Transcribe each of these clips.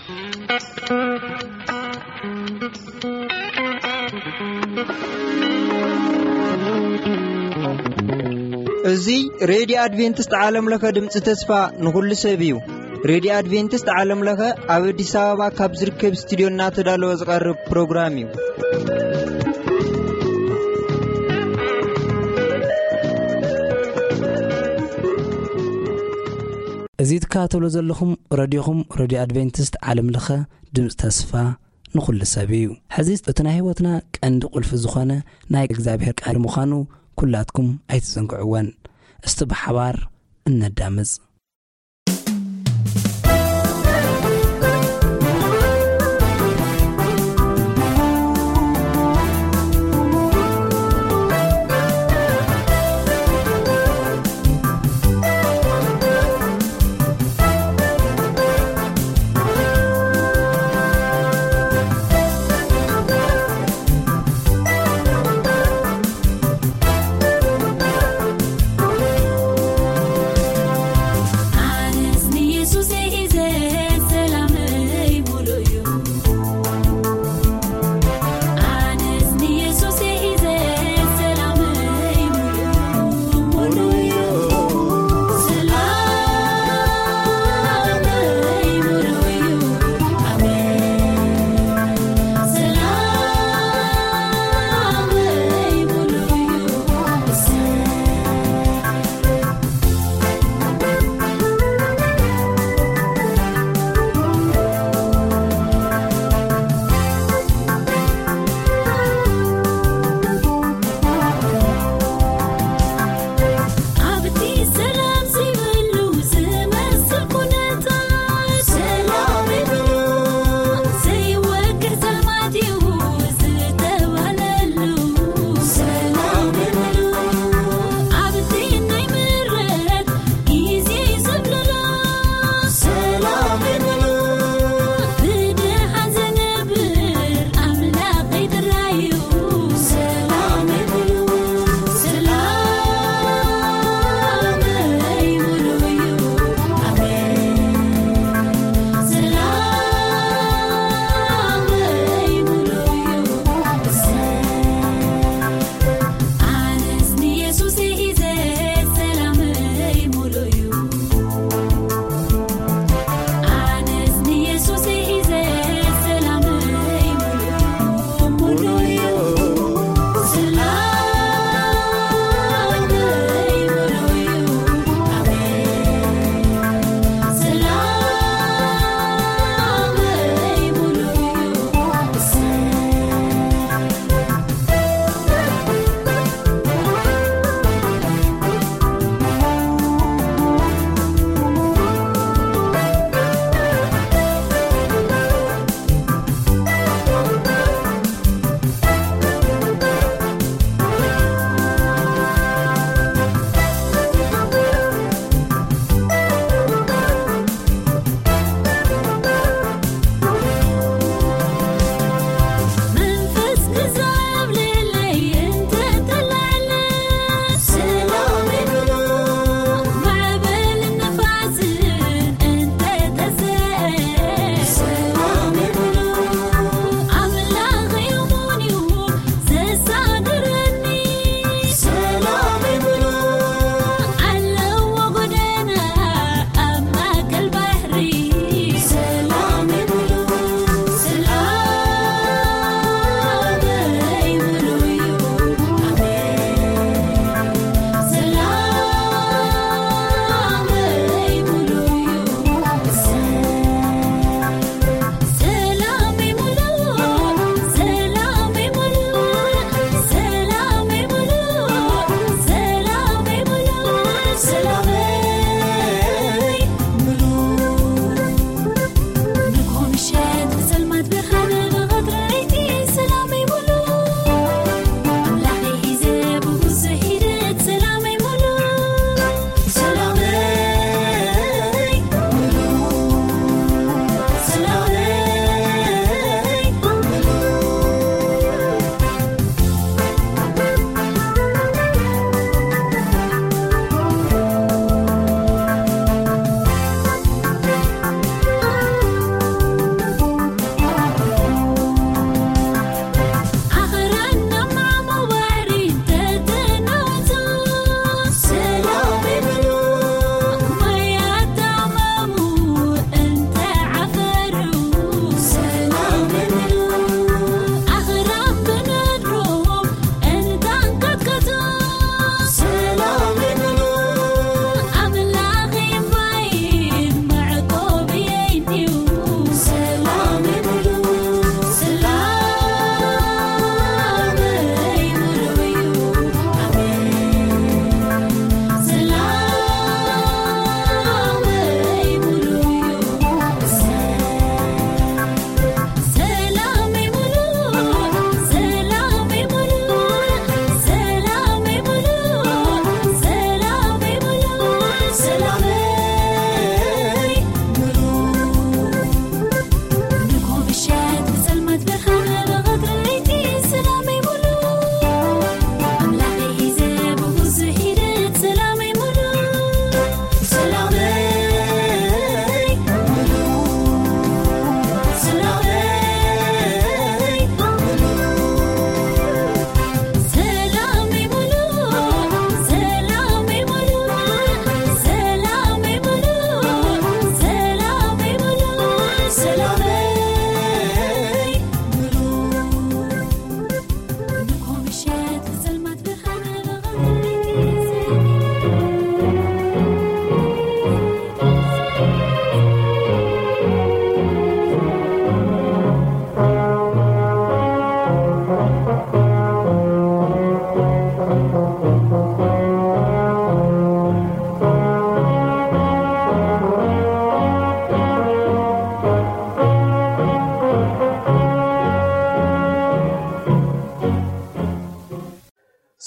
እዚ ሬድዮ ኣድቬንቲስት ዓለም ለኸ ድምፂ ተስፋ ንኹሉ ሰብ እዩ። ሬድዮ ኣድቬንቲስት ዓለም ለኸ ኣብ ኣዲስ ኣበባ ካብ ዝርከብ ስቱዲዮ እናተዳለወ ዝቐርብ ፕሮግራም እዩ። እዚ ትከታተሉ ዘለኹም ረድዮኹም ረድዮ ኣድቬንቲስት ዓለም ለኸ ድምፂ ተስፋ ንኹሉ ሰብ እዩ። ሕዚ እቲ ናይ ህይወትና ቀንዲ ቁልፊ ዝኾነ ናይ እግዚኣብሔር ቃል ምዃኑ ኩላትኩም ኣይትዘንግዕወን። እስቲ ብሓባር እነዳምፅ።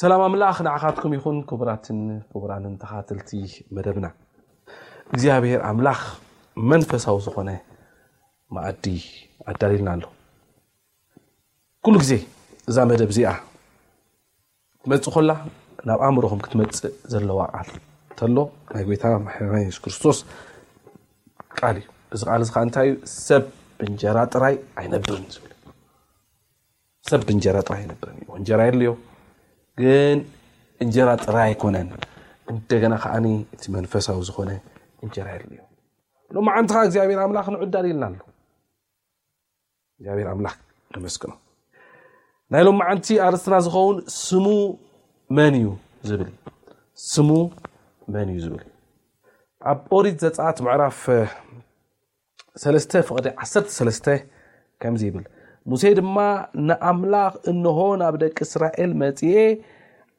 ሰላም ኣምላኽ ንዓኻትኩም ይኹን። ክቡራትን ክቡራንን ተኻተልቲ መደብና፣ እግዚኣብሔር ኣምላኽ መንፈሳዊ ዝኾነ መኣዲ ኣዳልልና ኣሎ። ኩሉ ግዜ እዛ መደብ እዚኣ ትመጽእ ኮላ ናብ ኣእምሮኹም ክትመጽእ ዘለዋ ቃል ተሎ ናይ ጎይታ መድሓኒና የሱስ ክርስቶስ ቃል እዩ። እዚ ቃል እዚ ከዓ እንታይ እዩ? ሰብ ብእንጀራ ጥራይ ኣይነብርን ዝብል። ሰብ ብእንጀራ ጥራይ ኣይነብርን እዩ። እንጀራ የድልዮ፣ ግን እንጀራ ጥራይ ኣይኮነን። እንደገና ከዓኒ እቲ መንፈሳዊ ዝኾነ እንጀራ የድልዮ። ሎማዓንቲ ከዓ እግዚኣብሔር ኣምላኽ ንዑ ኣዳልልና ኣሎ። እግዚኣብሔር ኣምላኽ ነመስግኖ። ናይ ሎማዓንቲ ኣርእስትና ዝኸውን ስሙ መን እዩ ዝብል እዩ። ስሙ መን እዩ ዝብል እዩ። ኣብ ኦሪት ዘጸኣት ምዕራፍ ሰለስተ ፍቕዲ ዓሰርተ ሰለስተ ከምዚ ይብል፣ ሙሴ ድማ ንኣምላኽ፣ እንሆ ናብ ደቂ እስራኤል መጺኤ፣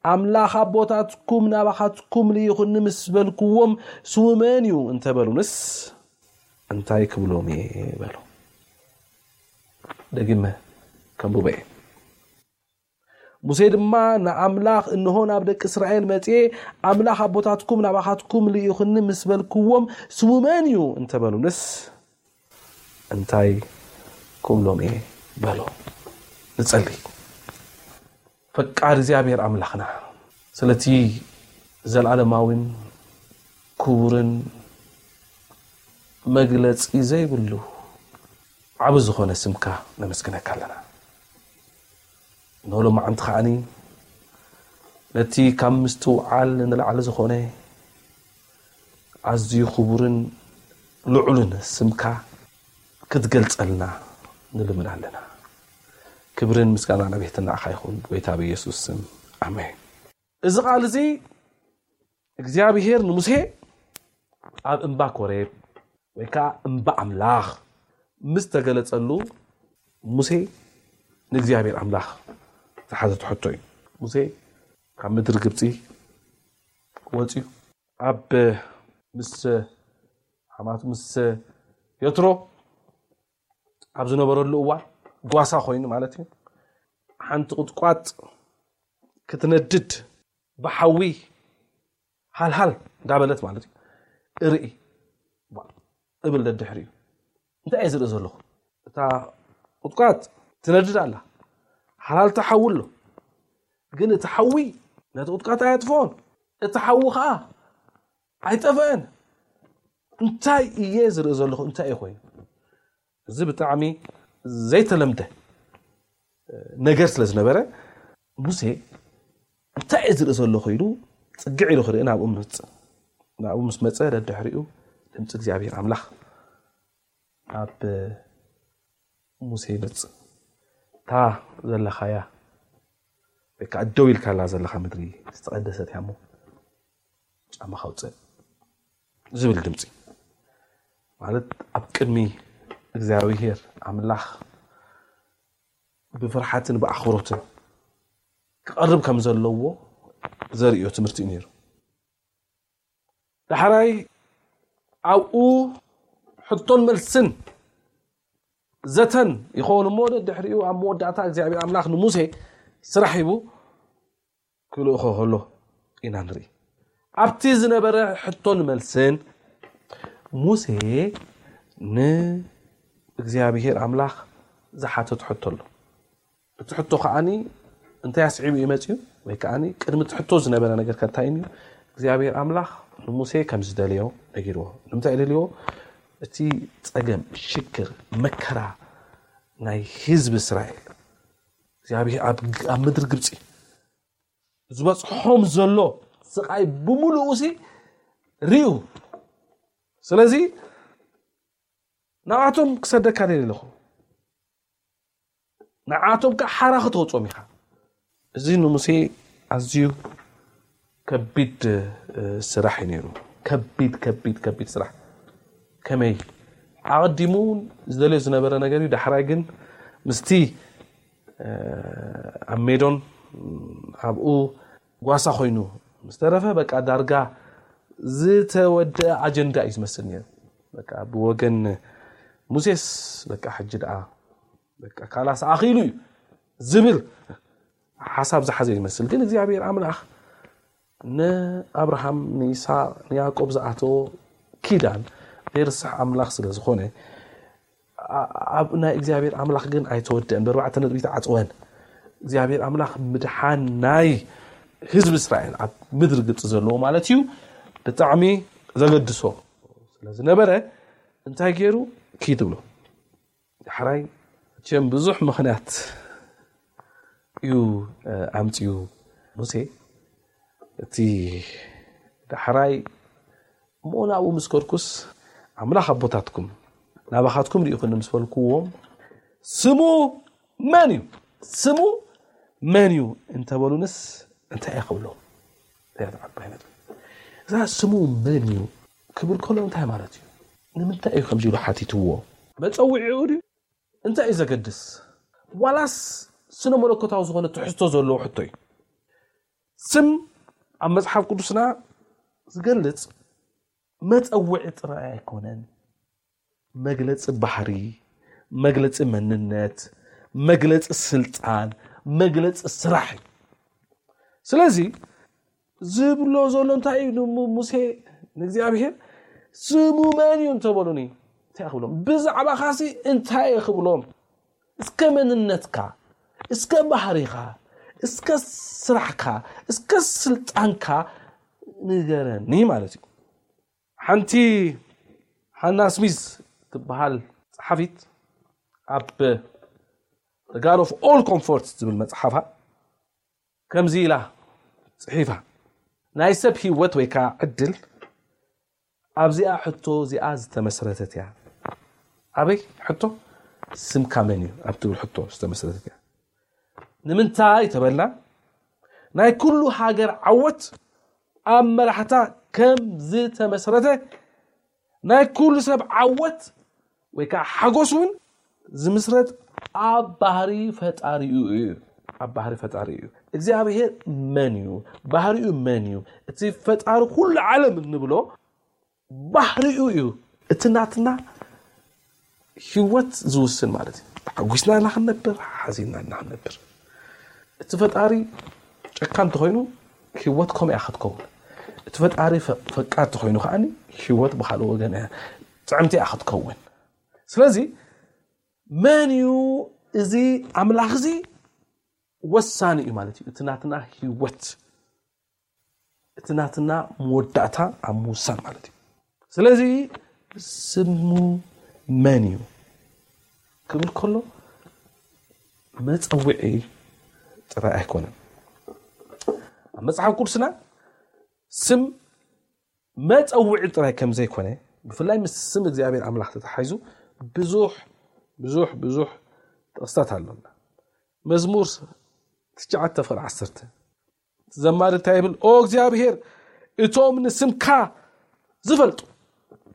ኣምላኽ ኣቦታትኩም ናባኻትኩም ልኢኹኒ ምስ በልክዎም፣ ስሙ መን እዩ እንተበሉንስ እንታይ ክብሎም እየ በሎ። ደጊመ ከንብቦ እየ። ሙሴ ድማ ንኣምላኽ፣ እንሆ ናብ ደቂ እስራኤል መጺኤ፣ ኣምላኽ ኣቦታትኩም ናባኻትኩም ልኢኹኒ ምስ በልክዎም፣ ስሙ መን እዩ እንተበሉንስ እንታይ ክብሎም እየ በሎ። ንጸሊ። ፈቃር እግዚኣብሔር ኣምላኽና፣ ስለቲ ዘለዓለማዊን ክቡርን መግለጺ ዘይብሉ ዓቢ ዝኾነ ስምካ ነመስግነካ ኣለና። ንሎማዓንቲ ከዓኒ ነቲ ካብ ምስትውዓል ንላዕሊ ዝኾነ ኣዝዩ ክቡርን ልዑልን ስምካ ክትገልጸልና ንልምን ኣለና። ክብርን ምስጋና ናቤትና ኢኻ ይኹን፣ ጎይታ ብየሱስ ስም፣ ኣሜን። እዚ ቃል እዚ እግዚኣብሄር ንሙሴ ኣብ እምባ ኮሬብ ወይ ከዓ እምባ ኣምላኽ ምስ ተገለጸሉ፣ ሙሴ ንእግዚኣብሔር ኣምላኽ ዝሓዘ ትሕቶ እዩ። ሙሴ ካብ ምድሪ ግብጺ ወጺኡ ኣብ ምስ ሓማት ምስ የትሮ ኣብ ዝነበረሉ እዋን፣ ጓሳ ኮይኑ ማለት እዩ፣ ሓንቲ ቁጥቋጥ ክትነድድ ብሓዊ ሃልሃል እንዳበለት ማለት እዩ። እርኢ እብል ደድሕሪኡ። እንታይ እየ ዝርኢ ዘለኹ? እታ ቁጥቋጥ ትነድድ ኣላ። ሃልሃልታ ሓዊ ኣሎ። ግን እቲ ሓዊ ነቲ ቁጥቋጥ ኣየጥፍኦን። እቲ ሓዊ ኸዓ ኣይጠፍአን። እንታይ እየ ዝርኢ ዘለኹ? እንታይ እዩ ኮይኑ? እዚ ብጣዕሚ ዘይተለምደ ነገር ስለ ዝነበረ፣ ሙሴ እንታይ እየ ዝርኢ ዘለኹ ኢሉ ጽግዕ ኢሉ ክርኢ ናብኡ መጽእ። ናብኡ ምስ መጸ፣ ደድሕሪኡ ድምፂ እግዚኣብሔር ኣምላኽ ኣብ ሙሴ ይመጽእ። እታ ዘለኻያ ወይ ከዓ ደው ኢልካላ ዘለኻ ምድሪ ዝተቐደሰት እያ እሞ ጫማኻ ኣውፅእ ዝብል ድምፂ። ማለት ኣብ ቅድሚ እግዚኣብሔር ኣምላኽ ብፍርሓትን ብኣኽብሮትን ክቐርብ ከም ዘለዎ ዘርእዮ ትምህርቲ እዩ ነይሩ። ዳሕራይ ኣብኡ ሕቶን መልስን ዘተን ይኸውን እሞ፣ ደድሕሪኡ ኣብ መወዳእታ እግዚኣብሔር ኣምላኽ ንሙሴ ስራሕ ሂቡ ክልእኾ ከሎ ኢና ንርኢ። ኣብቲ ዝነበረ ሕቶን መልስን ሙሴ ንእግዚኣብሔር ኣምላኽ ዝሓተት ሕቶ ኣሎ። እቲ ሕቶ ከዓኒ እንታይ ኣስዒቡ እዩ መፅዩ? ወይ ከዓኒ ቅድሚ እቲ ሕቶ ዝነበረ ነገር ከ እንታይ እዩ? እግዚኣብሔር ኣምላኽ ንሙሴ ከም ዝደለዮ ነጊርዎ። ንምንታይ እዩ ደልይዎ? እቲ ጸገም፣ ሽግር፣ መከራ ናይ ህዝቢ እስራኤል፣ እግዚኣብሔር ኣብ ኣብ ምድሪ ግብጺ ዝበጽሖም ዘሎ ስቓይ ብምሉኡ ሲ ርእዩ። ስለዚ ንኣቶም ክሰደካ ደልየ ኣለኹ። ንዓቶም ከዓ ሓራ ክተውፅኦም ኢኻ። እዚ ንሙሴ ኣዝዩ ከቢድ እ፣ ስራሕ እዩ ነይሩ። ከቢድ፣ ከቢድ፣ ከቢድ ስራሕ። ከመይ? ኣቐዲሙ ዝደልዮ ዝነበረ ነገር እዩ። ዳሕራይ ግን ምስቲ እ፣ ኣብ ሜዶን ኣብኡ ጓሳ ኮይኑ ምስ ተረፈ፣ በቃ ዳርጋ ዝተወደአ ኣጀንዳ እዩ ዝመስል ነይሩ። በቃ ብወገን ሙሴስ በቃ ሕጂ ደኣ በቃ ካላስ ኣኺሉ እዩ ዝብል ሓሳብ ዝሓዘ ይመስል፣ ግን እግዚኣብሔር ኣምላኽ ንኣብርሃም፣ ንይስሓቅ፣ ንያዕቆብ ዝኣተዎ ኪዳን ዘይርስሕ ኣምላኽ ስለ ዝኾነ፣ ኣብ ናይ እግዚኣብሔር ኣምላኽ ግን ኣይተወደአን፣ ብኣርባዕተ ነጥቢ ተዓፅወን። እግዚኣብሔር ኣምላኽ ምድሓን ናይ ህዝቢ እስራኤል ኣብ ምድሪ ግብፂ ዘለዎ ማለት እዩ ብጣዕሚ ዘገድሶ ስለ ዝነበረ እንታይ ገይሩ? ኪድ ብሎ። ዳሕራይ ቸም ብዙሕ ምኽንያት እዩ ኣምፅኡ ሙሴ። እቲ ዳሕራይ እሞ ናብኡ ምስ ከድኩስ ኣምላኽ ኣቦታትኩም ናባኻትኩም ርኢኹኒ ምስ በልኩዎም፣ ስሙ መን እዩ? ስሙ መን እዩ እንተበሉንስ እንታይ እየ ክብሎም? እዛ ስሙ መን እዩ ክብል ከሎ እንታይ ማለት እዩ? ንምንታይ እዩ ከምዚ ኢሉ ሓቲትዎ? መፀውዒኡ ድዩ? እንታይ እዩ ዘገድስ? ዋላስ ስነ መለኮታዊ ዝኾነ ትሕዝቶ ዘለዎ ሕቶ እዩ? ስም ኣብ መፅሓፍ ቅዱስና ዝገልፅ መፀውዒ ጥራይ ኣይኮነን። መግለፂ ባህሪ፣ መግለፂ መንነት፣ መግለፂ ስልጣን፣ መግለፂ ስራሕ እዩ። ስለዚ ዝብሎ ዘሎ እንታይ እዩ? ሙሴ ንእግዚኣብሔር ስሙ መን እዩ እንተበሉኒ እንታይ ክብሎም? ብዛዕባኻሲ እንታይ እየ ክብሎም? እስከ መንነትካ፣ እስከ ባህሪኻ፣ እስከ ስራሕካ፣ እስከ ስልጣንካ ንገረኒ ማለት እዩ። ሓንቲ ሃና ስሚዝ ትበሃል ጸሓፊት ኣብ God of All Comforts ዝብል መጽሓፋ ከምዚ ኢላ ጽሒፋ፣ ናይ ሰብ ህይወት ወይ ከዓ ዕድል ኣብዚኣ ሕቶ እዚኣ ዝተመስረተት እያ። ኣበይ ሕቶ? ስምካ መን እዩ ኣብ ትብል ሕቶ ዝተመስረተት እያ። ንምንታይ ተበልና፣ ናይ ኩሉ ሃገር ዓወት ኣብ መራሕታ ከም ዝተመስረተ፣ ናይ ኩሉ ሰብ ዓወት ወይ ከዓ ሓጎስ እውን ዝምስረት ኣብ ባህሪ ፈጣሪኡ እዩ። ኣብ ባህሪ ፈጣሪ እዩ። እግዚኣብሔር መን እዩ? ባህሪኡ መን እዩ? እቲ ፈጣሪ ኩሉ ዓለም እንብሎ ባህሪኡ እዩ። እቲ ናትና ህይወት ዝውስን ማለት እዩ። ተሓጒስና እና ክንነብር፣ ሓዚንና እና ክንነብር። እቲ ፈጣሪ ጨካን እንተኾይኑ ህይወት ከምኡ እያ ክትከውን። እቲ ፈጣሪ ፈ-፣ ፈቃር እንተኾይኑ ከዓኒ ህይወት ብኻልእ ወገን እያ፣ ጥዕምቲ እያ ክትከውን። ስለዚ መን እዩ እዚ ኣምላኽ እዚ ወሳኒ እዩ ማለት እዩ። እቲ ናትና ህይወት፣ እቲ ናትና መወዳእታ ኣብ ምውሳን ማለት እዩ። ስለዚ ስሙ መን እዩ ክብል ከሎ መጸውዒ ጥራይ ኣይኮነን። ኣብ መጽሓፍ ቅዱስና ስም መጸውዒ ጥራይ ከም ዘይኮነ፣ ብፍላይ ምስ ስም እግዚኣብሔር ኣምላኽ ተተሓሒዙ ብዙሕ፣ ብዙሕ፣ ብዙሕ ጥቕስታት ኣሎና። መዝሙር ትሽዓተ ፍቕዲ ዓሰርተ፣ እቲ ዘማሪ እንታይ ይብል? "ኦ እግዚኣብሔር፣ እቶም ንስምካ ዝፈልጡ፣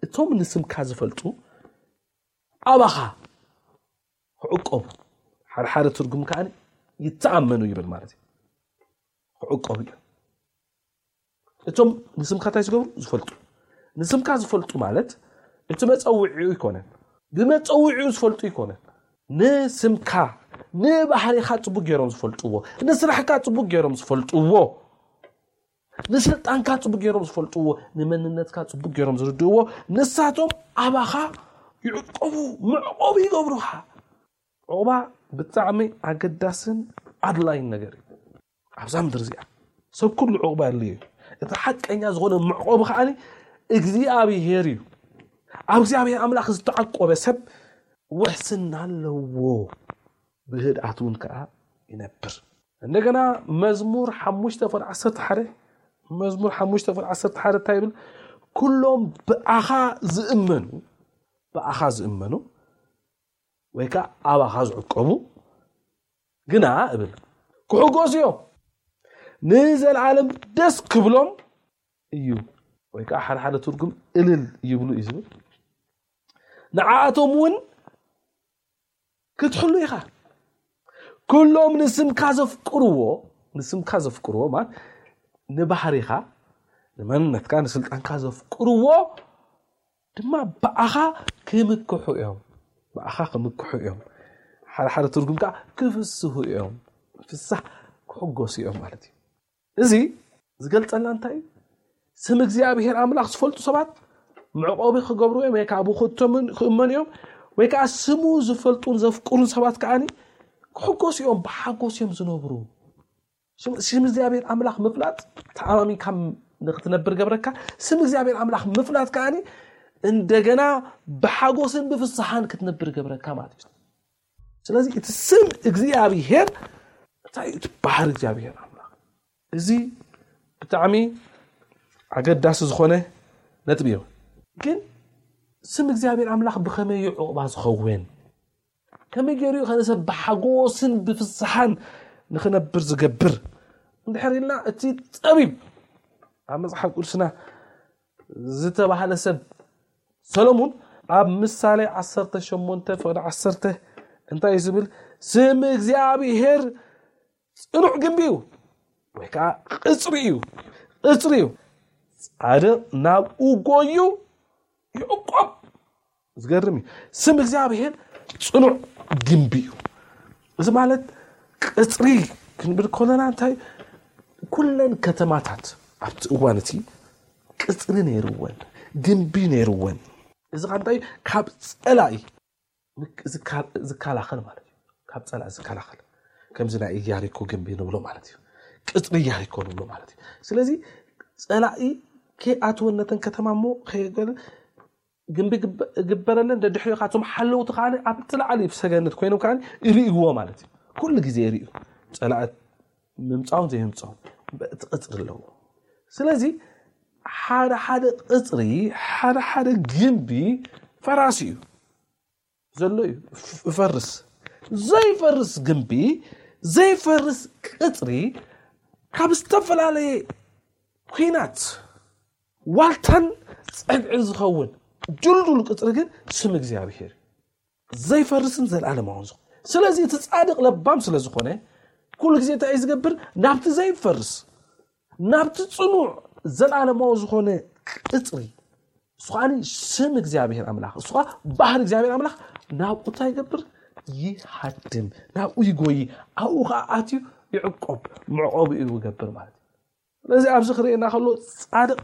እቶም ንስምካ ዝፈልጡ ኣባኻ ክዕቆቡ፣ ሓደ ሓደ ትርጉም ከኣ ይተኣመኑ" ይብል ማለት እዩ። ክዕቆቡ እዩ። እቶም ንስምካ እንታይ ዝገብሩ? ዝፈልጡ። ንስምካ ዝፈልጡ ማለት እቲ መጸውዒኡ ይኮነን። ብመጸውዒኡ ዝፈልጡ ይኮነን። ንስምካ፣ ንባህሪኻ ጽቡቅ ገይሮም ዝፈልጥዎ፣ ንስራሕካ ጽቡቅ ገይሮም ዝፈልጥዎ፣ ንስልጣንካ ጽቡቅ ገይሮም ዝፈልጥዎ፣ ንመንነትካ ጽቡቅ ገይሮም ዝርድእዎ፣ ንሳቶም ኣባኻ ይዕቆቡ፣ መዕቆቢ ይገብሩኻ። ዑቕባ ብጣዕሚ ኣገዳስን ኣድላይን ነገር እዩ። ኣብዛ ምድሪ እዚኣ ሰብ ኩሉ ዑቕባ የድልዮ እዩ። እቲ ሓቀኛ ዝኾነ መዕቆቢ ከዓኒ እግዚኣብሔር እዩ። ኣብ እግዚኣብሔር ኣምላኽ ዝተዓቆበ ሰብ ውሕስና ኣለዎ፣ ብህድኣት እውን ከኣ ይነብር። እንደገና መዝሙር ሓሙሽተ ፍቕዲ ዓሰርተ ሓደ፣ መዝሙር ሓሙሽተ ፍቕዲ ዓሰርተ ሓደ እንታይ ይብል? "ኩሎም ብኣኻ ዝእመኑ፣ ብኣኻ ዝእመኑ ወይ ከኣ ኣባኻ ዝዕቀቡ ግና" እብል፣ "ክሕጎሱ እዮም፣ ንዘለኣለም ደስ ክብሎም እዩ" ወይ ከኣ ሓደ ሓደ ትርጉም እልል ይብሉ እዩ ዝብል። "ንዓኣቶም እውን ክትሕሉ ኢኻ። ኩሎም ንስምካ ዘፍቅርዎ"፣ ንስምካ ዘፍቅርዎ ማለት ንባህሪኻ፣ ንመንነትካ፣ ንስልጣንካ ዘፍቅርዎ ድማ ብኣኻ ክምክሑ እዮም። ብኣኻ ክምክሑ እዮም። ሓደ ሓደ ትርጉም ከኣ ክፍስሁ እዮም። ፍሳህ ክሕጎሱ እዮም ማለት እዩ። እዚ ዝገልጸልና እንታይ እዩ? ስም እግዚኣብሔር ኣምላኽ ዝፈልጡ ሰባት መዕቆቢ ክገብሩ እዮም፣ ወይ ከዓ ብክእቶምን ክእመኑ እዮም፣ ወይ ከዓ ስሙ ዝፈልጡን ዘፍቅሩን ሰባት ከዓኒ ክሕጎሱ እዮም፣ ብሓጎስ እዮም ዝነብሩ። ስም እግዚኣብሔር ኣምላኽ ምፍላጥ ተኣማሚንካ ንክትነብር ገብረካ። ስም እግዚኣብሔር ኣምላኽ ምፍላጥ ከዓኒ እንደገና ብሓጎስን ብፍስሓን ክትነብር ገብረካ ማለት እዩ። ስለዚ እቲ ስም እግዚኣብሔር እንታይ እዩ? እቲ ባህሪ እግዚኣብሔር ኣምላኽ። እዚ ብጣዕሚ ኣገዳሲ ዝኾነ ነጥቢ እዩ። ግን ስም እግዚኣብሔር ኣምላኽ ብኸመይ እዩ ዕቑባ ዝኸውን? ከመይ ገይሩ እዩ ከነሰብ ብሓጎስን ብፍስሓን ንኽነብር ዝገብር? እንድሕር ኢልና እቲ ጸቢብ ኣብ መጽሓፍ ቅዱስና ዝተባህለ ሰብ ሰሎሙን ኣብ ምሳሌ ዓሰርተ ሸሞንተ ፍቕዲ ዓሰርተ እንታይ እዩ ዝብል? ስም እግዚኣብሔር ጽኑዕ ግንቢ እዩ፣ ወይ ከዓ ቅጽሪ እዩ፣ ቅጽሪ እዩ። ጻድቕ ናብኡ ጎዩ ይዕቆብ። ዝገርም እዩ። ስም እግዚኣብሔር ጽኑዕ ግንቢ እዩ። እዚ ማለት ቅጽሪ ክንብል ከለና እንታይ ኩለን ከተማታት ኣብቲ እዋን እቲ ቅጽሪ ነይርወን፣ ግንቢ ነይርወን። እዚ ከ እንታይ ካብ ጸላኢ ዝከላኸል ማለት እዩ። ካብ ጸላኢ ዝከላኸል ከምዚ ናይ ኢያሪኮ ግንቢ ንብሎ ማለት እዩ። ቅጽሪ ኢያሪኮ ንብሎ ማለት እዩ። ስለዚ ጸላኢ ከይኣትወን ነተን ከተማ እሞ ከይገለ ግንቢ ግበረለን። ደድሕሪኡ ካቶም ሓለውቲ ከዓኒ ኣብቲ ላዕሊ ሰገነት ኮይኖም ከዓኒ ይርእይዎ ማለት እዩ። ኩሉ ግዜ ይርእዩ ጸላእት ምምጻውን ዘይምጻውን እቲ ቅጽሪ ኣለዎ። ስለዚ ሓደ ሓደ ቅጽሪ ሓደ ሓደ ግንቢ ፈራሲ እዩ ዘሎ እዩ ይፈርስ። ዘይፈርስ ግንቢ ዘይፈርስ ቅጽሪ ካብ ዝተፈላለየ ኲናት ዋልታን ጸግዕን ዝኸውን ድልዱል ቅጽሪ ግን ስም እግዚኣብሔር ዘይፈርስን ዘለዓለማውን ዝኾነ። ስለዚ እቲ ጻድቕ ለባም ስለ ዝኾነ ኩሉ ግዜ እንታይ እዩ ዝገብር? ናብቲ ዘይፈርስ ናብቲ ጽኑዕ ዘለዓለማዊ ዝኾነ ቅጽሪ እሱ ከዓኒ ስም እግዚኣብሔር ኣምላኽ እሱ ከዓ ባህሪ እግዚኣብሔር ኣምላኽ ናብኡ እንታይ ይገብር? ይሃድም፣ ናብኡ ይጎይ፣ ኣብኡ ከዓ ኣትዩ ይዕቆብ፣ መዕቆቢኡ ይገብር ማለት እዩ። ስለዚ ኣብዚ ክርእየና ከሎ ጻድቕ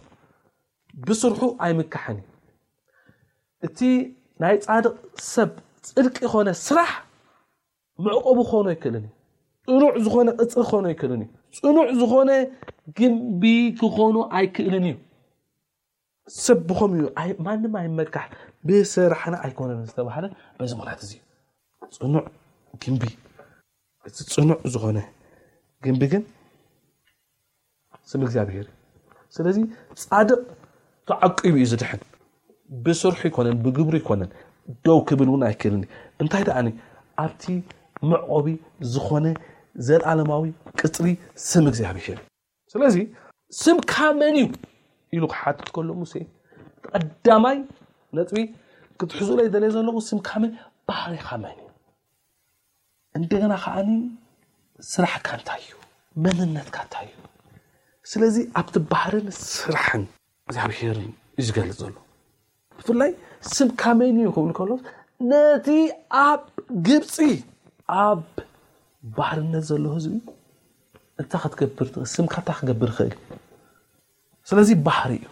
ብስርሑ ኣይምካሕን እዩ። እቲ ናይ ጻድቕ ሰብ ጽድቂ ኾነ ስራሕ መዕቆቢ ክኾኖ ኣይክእልን እዩ። ጽኑዕ ዝኾነ ቅጽሪ ክኾኖ ኣይክእልን እዩ። ጽኑዕ ዝኾነ ግንቢ ክኾኖ ኣይክእልን እዩ። ሰብ ብኸምኡ እዩ። ማንም ኣይመካሕ ብስራሕና ኣይኮነን ዝተባህለ በዚ ምኽንያት እዚ እዩ። ጽኑዕ ግንቢ እቲ ጽኑዕ ዝኾነ ግንቢ ግን ስም እግዚኣብሔር እዩ። ስለዚ ጻድቕ ተዓቂቡ እዩ ዝድሕን። ብስርሑ ይኮነን ብግብሩ ይኮነን ደው ክብል እውን ኣይክእልን እዩ። እንታይ ደኣኒ ኣብቲ መዕቆቢ ዝኾነ ዘለዓለማዊ ቅጽሪ ስም እግዚኣብሔር እዩ። ስለዚ ስምካ መን እዩ ኢሉ ክሓትት ከሎ ሙሴ ቀዳማይ ነጥቢ ክትሕዙለይ ደልየ ዘለኹ ስምካ መን ባህሪኻ መን እዩ? እንደገና ከዓኒ ስራሕካ እንታይ እዩ? መንነትካ እንታይ እዩ? ስለዚ ኣብቲ ባህርን ስራሕን እግዚኣብሔር እዩ ዝገልጽ ዘሎ። ብፍላይ ስምካ መን እዩ ክብል ከሎ ነቲ ኣብ ግብፂ ኣብ ባርነት ዘሎ ህዝቢ እንታይ ክትገብር ትኽእል? ስምካ እንታይ ክገብር ይኽእል እዩ? ስለዚ ባህሪ እዩ።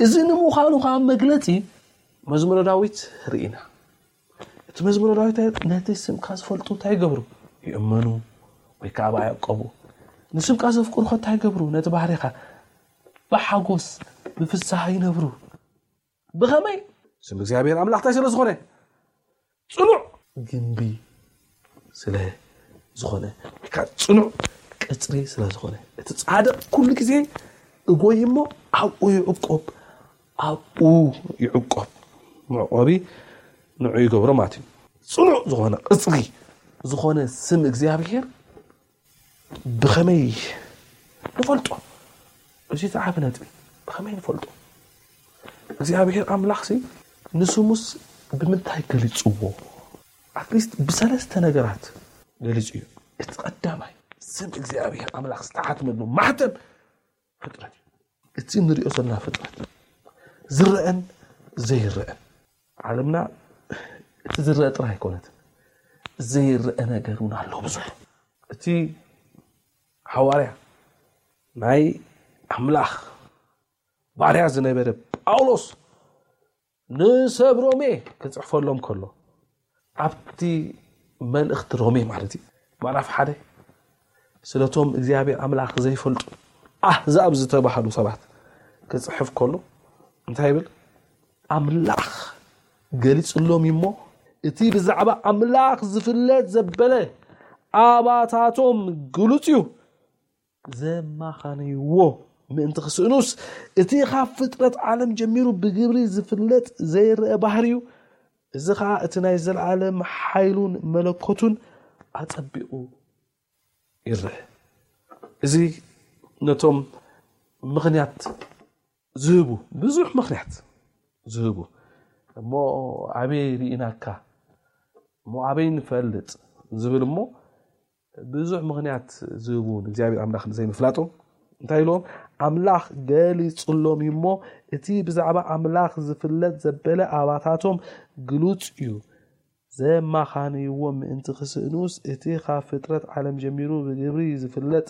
እዚ ንምዃኑ ከዓ መግለፂ መዝሙረ ዳዊት ርኢና። እቲ መዝሙረ ዳዊት ነቲ ስምካ ዝፈልጡ እንታይ ይገብሩ? ይእመኑ ወይ ከዓ ብኣ ይዕቀቡ። ንስምካ ዘፍቅሩ ከ እንታይ ይገብሩ? ነቲ ባህሪኻ ብሓጎስ ብፍስሃ ይነብሩ። ብኸመይ? ስም እግዚኣብሔር ኣምላኽ እንታይ ስለ ዝኾነ? ጽኑዕ ግንቢ ስለ ዝኾነ ወይ ከዓ ጽኑዕ ቅጽሪ ስለ ዝኾነ እቲ ጻድቕ ኩሉ ግዜ እጎይ እሞ ኣብኡ ይዕቆብ፣ ኣብኡ ይዕቆብ። መዕቆቢ ንዑ ይገብሮ ማለት እዩ። ጽኑዕ ዝኾነ ቅጽሪ ዝኾነ ስም እግዚኣብሔር ብኸመይ ንፈልጦ? እዚ ዝዓቢ ነጥቢ ብኸመይ ንፈልጦ? እግዚኣብሔር ኣምላኽሲ ንስሙስ ብምንታይ ገሊጽዎ? ኣትሊስት ብሰለስተ ነገራት ገሊጹ እዩ። እቲ ቀዳማይ ስም እግዚኣብሔር ኣምላኽ ዝተሓትመሉ ማሕተም ፍጥረት እዩ። እቲ ንሪኦ ዘለና ፍጥረት ዝረአን ዘይረአን ዓለምና እቲ ዝረአ ጥራይ ኣይኮነትን ዘይረአ ነገር እውን ኣሎ ብዙሕ። እቲ ሓዋርያ ናይ ኣምላኽ ባርያ ዝነበረ ጳውሎስ ንሰብ ሮሜ ክጽሕፈሎም ከሎ፣ ኣብቲ መልእኽቲ ሮሜ ማለት እዩ፣ ምዕራፍ ሓደ፣ ስለቶም እግዚኣብሔር ኣምላኽ ዘይፈልጡ ኣህዛብ ዝተባህሉ ሰባት ክጽሕፍ ከሎ እንታይ ይብል? ኣምላኽ ገሊጽሎም እዩ እሞ፣ እቲ ብዛዕባ ኣምላኽ ዝፍለጥ ዘበለ ኣባታቶም ግሉጽ እዩ። ዘማኻንይዎ ምእንቲ ክስእኑስ፣ እቲ ካብ ፍጥረት ዓለም ጀሚሩ ብግብሪ ዝፍለጥ ዘይረአ ባህሪ እዩ። እዚ ኸኣ እቲ ናይ ዘለዓለም ሓይሉን መለኮቱን ኣጸቢቑ ይረአ። እዚ ነቶም ምኽንያት ዝህቡ፣ ብዙሕ ምኽንያት ዝህቡ፣ እሞ ኣበይ ርኢናካ፣ እሞ ኣበይ ንፈልጥ ዝብል፣ እሞ ብዙሕ ምኽንያት ዝህቡ ንእግዚኣብሔር ኣምላኽ ንዘይምፍላጦም እንታይ ኢሎም? ኣምላኽ ገሊጹሎም እዩ እሞ፣ እቲ ብዛዕባ ኣምላኽ ዝፍለጥ ዘበለ ኣባታቶም ግሉጽ እዩ። ዘማኻንይዎ ምእንቲ ክስእኑስ፣ እቲ ካብ ፍጥረት ዓለም ጀሚሩ ብግብሪ ዝፍለጥ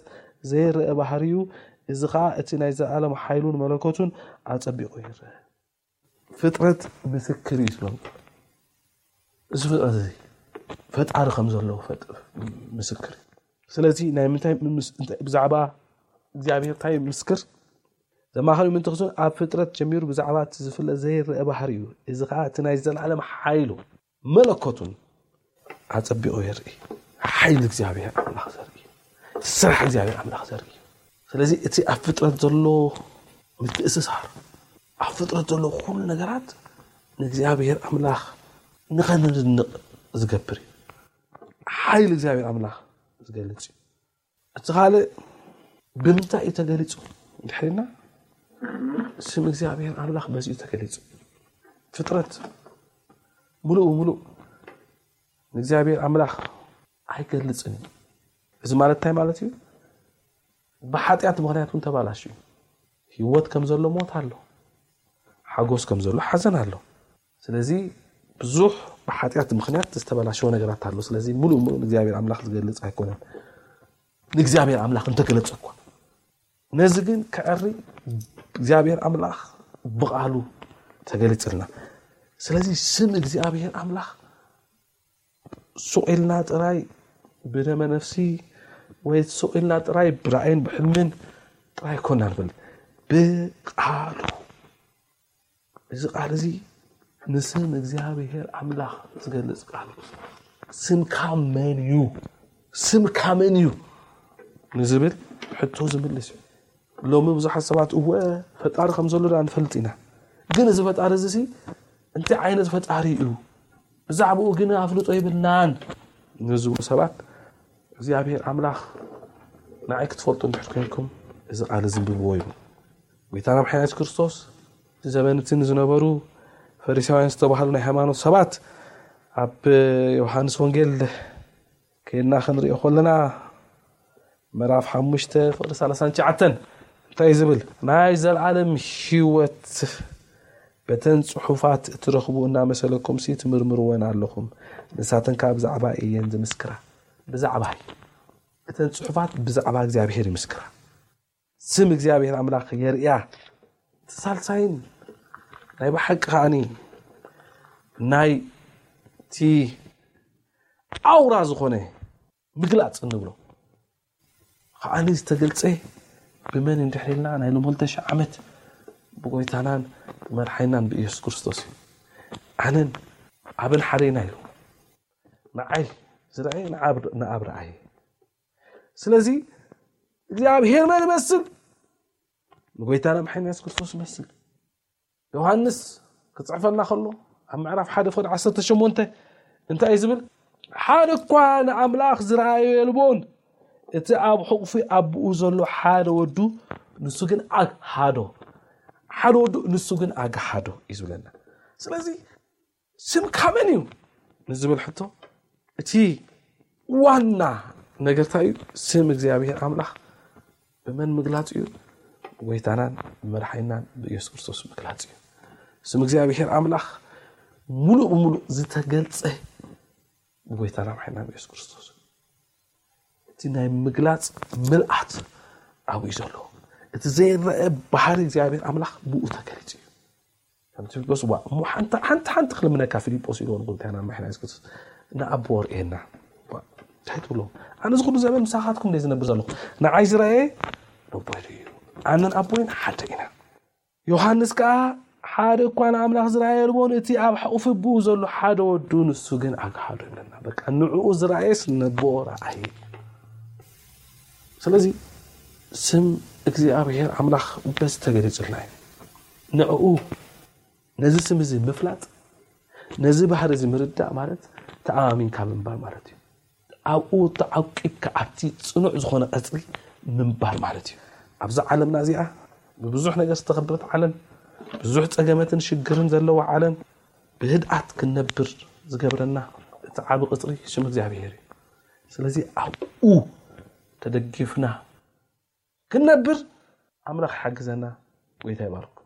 ዘይረአ ባህርዩ፣ እዚ ኸኣ እቲ ናይ ዘለዓለም ሓይሉን መለኮቱን ኣጸቢቑ ይረአ። ፍጥረት ምስክር እዩ ዝብሎም። እዚ ፍጥረት እዚ ፈጣሪ ከም ዘለዎ ፈጥ-፣ ምስክር እዩ። ስለዚ ናይ ምንታይ ምስ-፣ እንታይ ብዛዕባ እግዚኣብሔር እንታይ ምስክር? ዘማኸሪ ምእንቲ ክስእኑ ኣብ ፍጥረት ጀሚሩ ብዛዕባ እቲ ዝፍለጥ ዘይረአ ባህሪ እዩ። እዚ ኸኣ እቲ ናይ ዘለዓለም ሓይሉ መለኮቱን ኣጸቢቑ የርኢ። ሓይሊ እግዚኣብሔር ኣምላኽ ዘርኢ፣ ስራሕ እግዚኣብሔር ኣምላኽ ዘርኢ። ስለዚ እቲ ኣብ ፍጥረት ዘሎ ምትእስሳር፣ ኣብ ፍጥረት ዘሎ ኩሉ ነገራት ንእግዚኣብሔር ኣምላኽ ንኸነድንቕ ዝገብር እዩ። ሓይሊ እግዚኣብሔር ኣምላኽ ዝገልጽ እዩ። እቲ ካልእ ብምንታይ እዩ ተገሊጹ እንድሕር ኢልና፣ ስም እግዚኣብሔር ኣምላኽ በዚ እዩ ተገሊጹ። ፍጥረት ምሉእ ብምሉእ ንእግዚኣብሔር ኣምላኽ ኣይገልጽን እዩ። እዚ ማለት እንታይ ማለት እዩ? ብሓጢኣት ምኽንያት እውን ተባላሽዩ። ህይወት ከም ዘሎ ሞት ኣሎ። ሓጎስ ከም ዘሎ ሓዘን ኣሎ። ስለዚ ብዙሕ ብሓጢኣት ምኽንያት ዝተበላሸወ ነገራት ኣሎ። ስለዚ ምሉእ ምሉእ ንእግዚኣብሔር ኣምላኽ ዝገልጽ ኣይኮነን። ንእግዚኣብሔር ኣምላኽ እንተገለጸ እኳ። ነዚ ግን ከዐሪ እግዚኣብሔር ኣምላኽ ብቓሉ ተገሊጽልና። ስለዚ ስም እግዚኣብሔር ኣምላኽ ሱቕ ኢልና ጥራይ ብደመ ነፍሲ ወይ ሱቕ ኢልና ጥራይ ብራእይን ብሕልምን ጥራይ ኮና ንፈልጥ። ብቓሉ። እዚ ቃል እዚ ንስም እግዚኣብሔር ኣምላኽ ዝገልጽ ቃል እዩ። ስምካ መን እዩ? ስምካ መን እዩ ንዝብል ሕቶ ዝምልስ እዩ። ሎሚ ብዙሓት ሰባት እወ ፈጣሪ ከም ዘሎ ዳ ንፈልጥ ኢና። ግን እዚ ፈጣሪ እዚ ሲ እንታይ ዓይነት ፈጣሪ እዩ? ብዛዕባኡ ግን ኣፍልጦ የብልናን ንዝብሉ ሰባት እግዚኣብሔር ኣምላኽ ንዓይ ክትፈልጡ እንድሕር ኮይንኩም እዚ ቃል እዚ እንብብዎ ይብል። ጎይታና መድሓኒና የሱስ ክርስቶስ እቲ ዘበን እቲ ንዝነበሩ ፈሪሳውያን ዝተባህሉ ናይ ሃይማኖት ሰባት ኣብ ዮሃንስ ወንጌል ከይድና ክንሪኦ ከለና ምዕራፍ ሓሙሽተ ፍቕዲ ሰላሳን ትሽዓተን እንታይ እዩ ዝብል? ናይ ዘለዓለም ህይወት በተን ጽሑፋት እትረኽቡ እናመሰለኩም ሲ ትምርምርወን ኣለኹም። ንሳተን ከኣ ብዛዕባ እየን ዝምስክራ። ብዛዕባ እተን ጽሑፋት ብዛዕባ እግዚኣብሔር ይምስክራ። ስም እግዚኣብሔር ኣምላኽ የርእያ። እቲ ሳልሳይን ናይ ብሓቂ ከኣኒ ናይ እቲ ኣውራ ዝኾነ ምግላጽ እንብሎ ከኣኒ ዝተገልጸ ብመን እንድሕር ኢልና ናይ ሎም ክልተ ሽሕ ዓመት ብጎይታናን ብመድሓኒናን ብኢየሱስ ክርስቶስ እዩ። ኣነን ኣብን ሓደ ኢና ኢሉ። ንዓይ ዝረኣየ ንኣብ-፣ ንኣብ ረኣየ። ስለዚ እግዚኣብሔር መን ይመስል? ንጎይታና መድሓኒና የሱስ ክርስቶስ ይመስል። ዮሃንስ ክጽሕፈልና ከሎ ኣብ ምዕራፍ ሓደ ፍቕዲ ዓሰርተ ሸሞንተ እንታይ እዩ ዝብል? ሓደ እኳ ንኣምላኽ ዝረኣዮ የልቦን። እቲ ኣብ ሕቑፊ ኣቦኡ ዘሎ ሓደ ወዱ ንሱ ግን ኣግሃዶ። ሓደ ወዱ ንሱ ግን ኣግሃዶ እዩ ዝብለና። ስለዚ ስምካ መን እዩ ንዝብል ሕቶ እቲ ዋና ነገር እንታይ እዩ? ስም እግዚኣብሔር ኣምላኽ ብመን ምግላጽ እዩ? ብጎይታናን ብመድሓኒናን ብኢየሱስ ክርስቶስ ምግላጽ እዩ። ስም እግዚኣብሔር ኣምላኽ ሙሉእ ብሙሉእ ዝተገልጸ ብጎይታና መድሓኒና ብኢየሱስ ክርስቶስ እዩ። እቲ ናይ ምግላፅ ምልኣት ኣብኡ እዩ ዘሎ። እቲ ዘይረአ ባህሪ እግዚኣብሔር ኣምላኽ ብኡ ተገሊጹ እዩ። ከም ፊልጶስ ዋ እሞ ሓንቲ ሓንቲ ሓንቲ ክልምነካ ፊልጶስ ኢልዎ ንጎይታና መድሓኒና የሱስ ክርስቶስ ንኣቦ ርእየና። እንታይ ትብሎ? ኣነ እዚ ኩሉ ዘመን ምሳኻትኩም እንደ ዝነብር ዘለኹ ንዓይ ዝረኣየ ኣቦይ እዩ። ኣነን ኣቦይን ሓደ ኢና። ዮሃንስ ከኣ ሓደ እኳ ንኣምላኽ ዝረኣየ የልቦን፣ እቲ ኣብ ሕቑፊ ኣቦኡ ዘሎ ሓደ ወዱ ንሱ ግን ኣግሃዶ ይብለና። በቃ ንዕኡ ዝረኣየስ ነቦ ረኣየ። ስለዚ ስም እግዚኣብሔር ኣምላኽ በዚ ተገሊጹልና እዩ። ንዕኡ ነዚ ስም እዚ ምፍላጥ ነዚ ባህሪ እዚ ምርዳእ ማለት ተኣማሚንካ ምንባር ማለት እዩ። ኣብኡ ተዓቂብካ ኣብቲ ጽኑዕ ዝኾነ ቀጽሪ ምንባር ማለት እዩ። ኣብዛ ዓለምና እዚኣ ብብዙሕ ነገር ዝተኸበበት ዓለም፣ ብዙሕ ጸገመትን ሽግርን ዘለዋ ዓለም ብህድኣት ክንነብር ዝገብረና እቲ ዓቢ ቅጽሪ ሽም እግዚኣብሔር እዩ። ስለዚ ኣብኡ ተደጊፍና ክንነብር ኣምላኽ ይሓግዘና። ጎይታ ይባርኩም።